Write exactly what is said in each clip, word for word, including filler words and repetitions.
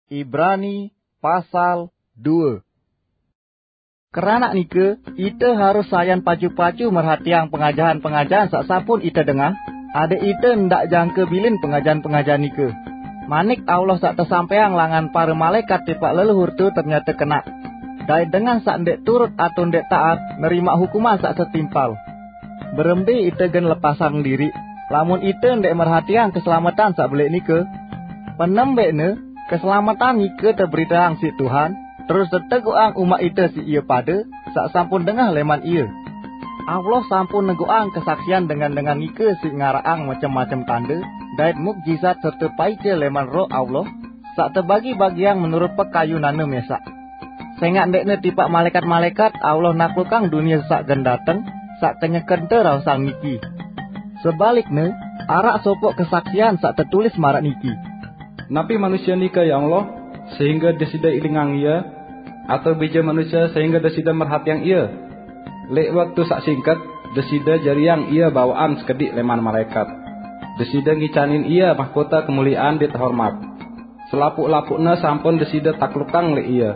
Ibrani pasal dua. Krana nika, ita harus sayan pacu-pacu merhatiang pengajahan-pengajahan saq sampun ita dengah, adik ita ndak jangka bilin pengajahan-pengajahan nika. Manik Allah saq tesampaiang langan para malaekat tipaq leluhur tu ternyata kenaq. Dait dengan saq ndeq turut atau ndeq taat nerimaq hukuman saq setimpal. Berembe ite gen lepasang diriq, lamun ite ndeq merhatiang keselamatan saq beleq nike? Penembeqne, keselamatan nike teberiteang siq Tuhan, terus teteguqang umat ite siq ie pade saq sampun dengah leman ie. Allah sampun neguqang kesaksian dengan-dengan nike siq ngaraqang macem-macem tande dait mukjizat serte paice leman Roh Allah, saq tebagi-bagiang menurut pekayunanne mesaq. Sengaq ndeqne tipaq malaekat-malaekat Allah naklukang dunie saq gen dateng, saq kenyekente raosang niki. Sebalikne, araq sopoq kesaksian saq tetulis maraq niki, "Napi manusie nike, ya Allah, sehingge Deside ilingang ie? Atau bije manusie sehingge Deside merhatiang ie? Leq waktu saq singket, Deside jariang ie bawaqan sekediq leman malaekat. Deside ngicanin ie mahkota kemuliean dait hormat. Selapuq-lapuqne sampun Deside taklukang leq ie."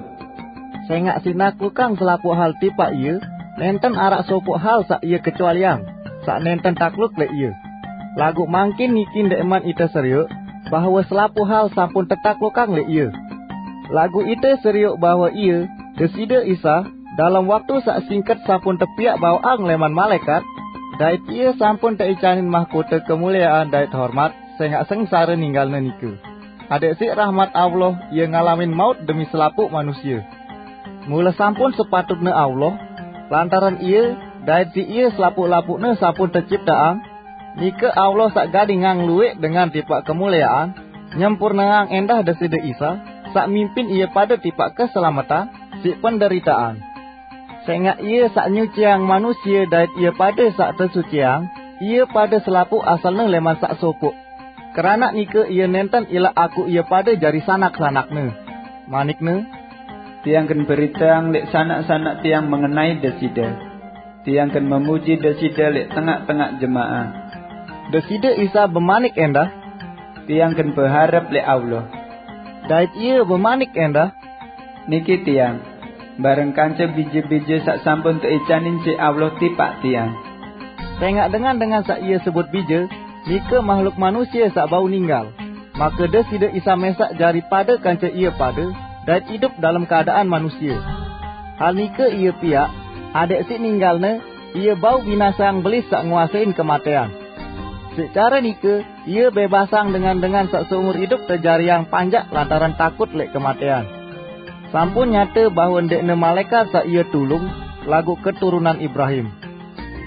Sengaq siq naklukang selapuq hal tipaq ie, nenten araq sopoq hal saq ie kecualiang, saq nenten takluk leq ie. Laguq mangkin niki ndeqman ite serioq bahwe selapuq hal sampun tetaklukang leq ie. Laguq ite serioq bahwe ie, Deside Isa, dalem waktu saq singket sampun tepiaq bawaqang leman malaekat, dait ie sampun teicanin mahkota kemuliean dait hormat sengaq sengsare ninggalne nike. Adeq siq rahmat Allah, ie ngalamin maut demi selapuq manusie. Mule sampun sepatutne Allah, lantaran ie dait siq ie selapuq-lapuqne sampun tecipteang, nike Allah saq gadingang lueq dengan tipaq kemuliean, nyempurneang endah Deside Isa, saq mimpin ie pade tipaq keselametan siq penderitaan. Sengaq ie saq nyuciang manusie dait ie pade saq tesuciang, ie pade selapuq asalne leman saq sopoq. Keranaq nike ie nenten ilaq akuq ie pade jari sanak-sanakne. Manikne, "Tiang gen beriteang leq sanak-sanak tiang mengenai Deside. Tiang gen memuji Deside leq tengaq-tengaq jemaah." Deside Isa bemanik endah, "Tiang gen beharep leq Allah." Dait ie bemanik endah, "Niki tiang, bareng kance bije-bije saq sampun teicanin siq Allah tipaq tiang." Sengaq dengan-dengan saq ie sebut bije, nike mahluk manusie saq bau ninggal. Make Deside Isa mesaq jari pade kance ie pade, dait idup dalem keadaan manusie. Hal nike ie piaq, adeq siq ninggalne, ie bau binaseang belis saq nguasein kematean. Siq care nike, ie bebasang dengan-dengan saq seumur idup tejariang panjak lantaran takut leq kematean. Sampun nyate bahwe ndeqne malaekat saq ie tulung, laguq keturunan Ibrahim.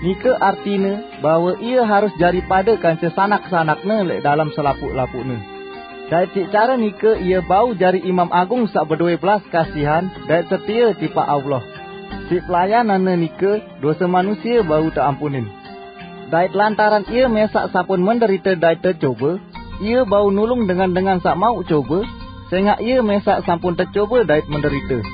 Nike artine bahwe ie harus jari pade kance sanak-sanakne leq dalem selapuq-lapuqne. Dait siq care nike ie bau jari Imam Agung saq bedowe belas kasihan dait setie tipaq Allah. Siq pelayananne nike dose manusie bau teampunin. Dait lantaran ie mesaq sampun menderite dait tecobe, ie bau nulung dengan-dengan saq mauq cobe, sengaq ie mesaq sampun tecobe dait menderite.